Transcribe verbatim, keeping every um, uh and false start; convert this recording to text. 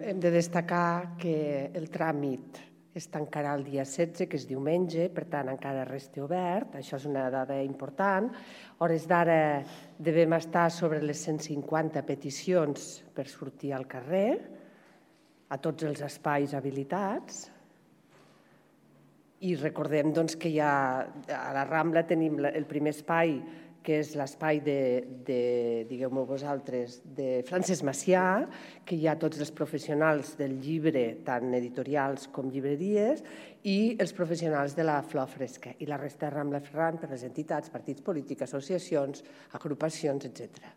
Hem de destacar que el tràmit es tancarà el dia setze, que és diumenge, per tant encara resta obert, això és una dada important. A hores d'ara devem estar sobre les cent cinquanta peticions per sortir al carrer, a tots els espais habilitats. I recordem doncs, que ja a la Rambla tenim el primer espai, que és l'espai de, digueu-me vosaltres, de Francesc Macià, que hi ha tots els professionals del llibre, tant editorials com llibreries, i els professionals de la Flor Fresca, i la resta de Rambla Ferran per les entitats, partits polítics, associacions, agrupacions, etcètera.